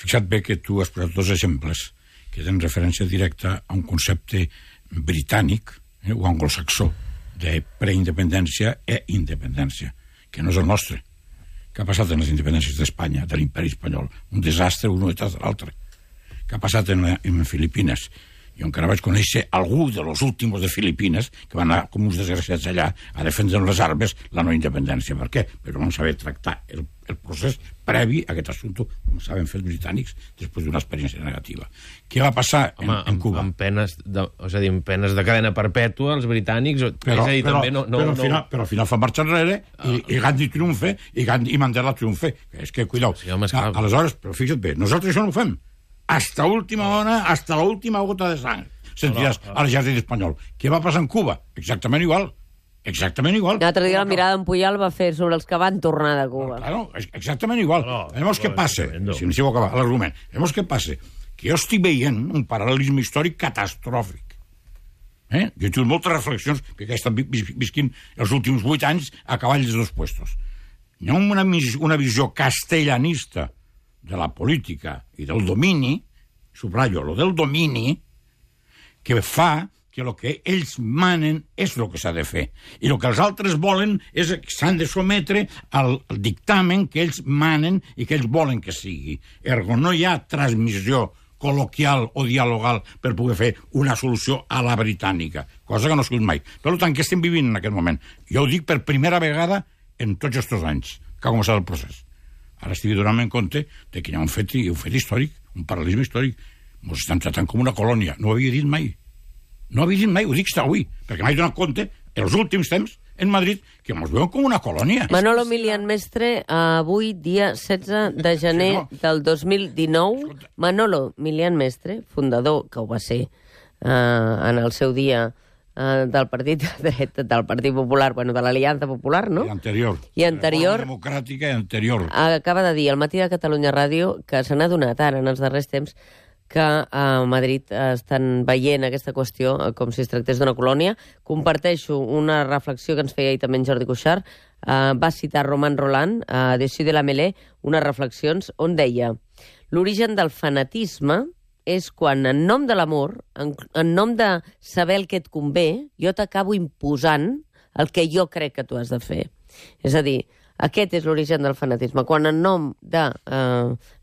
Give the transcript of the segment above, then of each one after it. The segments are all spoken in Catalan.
fixa't bé que tu has posat dos exemples que tenen referència directa a un concepte britànic o anglosaxó de preindependència i independència, que no és el nostre. Què ha passat en les independències d'Espanya, de l'imperi espanyol? Un desastre un detrás de l'altre. Què ha passat en Filipines? Jo encara vaig conèixer algú de los últimos de Filipines que van anar com uns desgraciats allà a defendre les armes la no independència. Per què? Però no saber tractar el procés previ a aquest assumpte, com saben fer els britànics després d'una experiència negativa. Què va passar en Cuba? Amb penes de cadena perpètua, els britànics... Però al final fan marxa enrere i Gandhi triomfa i Mandela triomfa. És que, cuidao, aleshores, però fixa't bé, nosaltres això no ho fem. Hasta última hora, hasta la última gota de sang. Sentiràs a l'exèrcit espanyol. Què va passar en Cuba? Exactament igual. Exactament igual. L'altre dia la mirada en Puyol va fer sobre els que van tornar de Cuba. Claro, exactament igual. Vemos què passa. Si no acabar l'argument. Vemos què passa. Que jo estic veient un paral·lelisme històric catastròfic. Jo he tingut moltes reflexions, perquè he estat visquint els últims 8 anys a cavall dels dos puestos. Hi ha una visió castellanista de la política i del domini, subratllo, lo del domini, que fa que el que ells manen és el que s'ha de fer. I el que els altres volen és que s'han de sometre al dictamen que ells manen i que ells volen que sigui. Ergo, no hi ha transmissió col·loquial o dialogal per poder fer una solució a la britànica, cosa que no ha sigut mai. Per tant, què estem vivint en aquest moment? Jo ho dic per primera vegada en tots aquests anys que ha començat el procés. Ara estic donant en compte que hi ha un fet històric, un paral·lelisme històric. Ens estan tratant com una colònia. No ho havia dit mai. No ho havia dit mai, ho dic avui, perquè m'he donat compte, en els últims temps, en Madrid, que ens veuen com una colònia. Manolo Milian Mestre, avui, dia 16 de gener del 2019, Manolo Milian Mestre, fundador, que ho va ser en el seu dia, del partit de dret, del Partit Popular, bueno, de l'Aliança Popular, no? I anterior. Democràtica i anterior. Acaba de dir al Matí de Catalunya Ràdio que se n'ha donat ara, en els darrers temps, que a Madrid estan veient aquesta qüestió com si es tractés d'una colònia. Comparteixo una reflexió que ens feia ahir també en Jordi Cuixart. Va citar Roman Roland, a Dessus de la Mêlée, unes reflexions on deia: l'origen del fanatisme és quan, en nom de l'amor, en nom de saber el que et convé, jo t'acabo imposant el que jo crec que tu has de fer. És a dir, aquest és l'origen del fanatisme. Quan, en nom de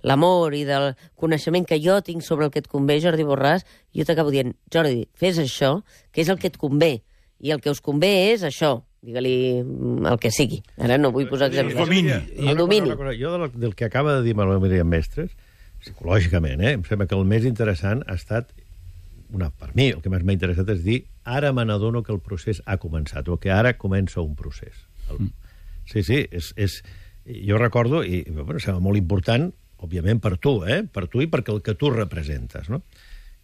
l'amor i del coneixement que jo tinc sobre el que et convé, Jordi Borràs, jo t'acabo dient: Jordi, fes això, que és el que et convé. I el que us convé és això. Digue-li el que sigui. Ara no vull posar exemples. El domini. Jo del que acaba de dir Manuel Milian Mestres, psicològicament, em sembla que el més interessant ha estat, per mi, el que més m'ha interessat és dir: ara me n'adono que el procés ha començat, o que ara comença un procés. Sí, jo recordo, i sembla molt important, òbviament per tu i perquè el que tu representes, no?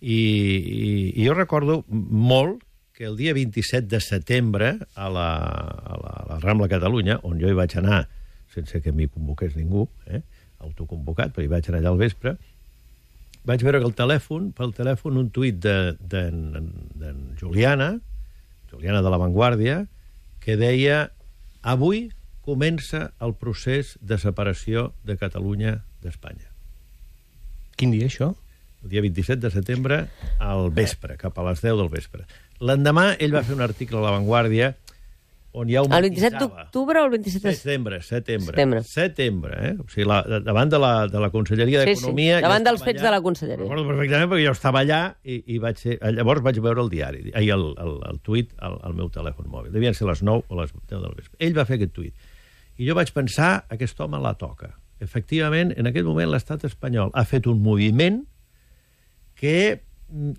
I jo recordo molt que el dia 27 de setembre a la Rambla Catalunya, on jo hi vaig anar sense que m'hi convoqués ningú, autoconvocat, però hi vaig anar allà al vespre, vaig veure que pel telèfon un tuit d'en Juliana de La Vanguardia, que deia: avui comença el procés de separació de Catalunya d'Espanya. Quin dia, això? El dia 27 de setembre, al vespre, cap a les 10 del vespre. L'endemà, ell va fer un article a La Vanguardia on ja ho matisava. El 27 d'octubre o el 27 de... Setembre. O sigui, davant de la Conselleria d'Economia... Sí, davant dels fets de la Conselleria. Recordo perfectament perquè jo estava allà i llavors vaig veure el diari, el tuit al meu telèfon mòbil. Devien ser les 9 o les 10 del vespre. Ell va fer aquest tuit. I jo vaig pensar: aquest home la toca. Efectivament, en aquest moment l'estat espanyol ha fet un moviment que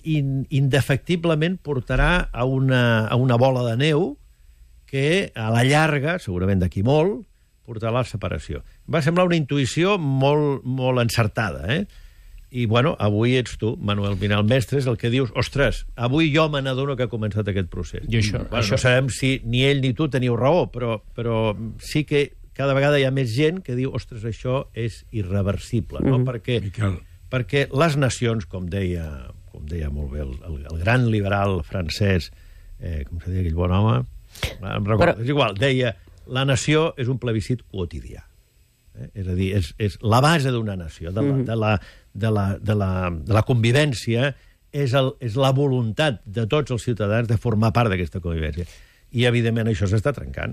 indefectiblement portarà a una bola de neu que a la llarga, segurament d'aquí molt, portarà a la separació. Va semblar una intuïció molt encertada, I, bueno, avui ets tu, Manuel Milian Mestres, el que dius: ostres, avui jo me n'adono que ha començat aquest procés. I això... No sabem si ni ell ni tu teniu raó, però sí que cada vegada hi ha més gent que diu: ostres, això és irreversible, no? Perquè les nacions, com deia molt bé el gran liberal francès, com se deia aquell bon home... Em recordo, és igual, deia: la nació és un plebiscit quotidià. És a dir, és la base d'una nació, de la convivència, és la voluntat de tots els ciutadans de formar part d'aquesta convivència. I, evidentment, això s'està trencant.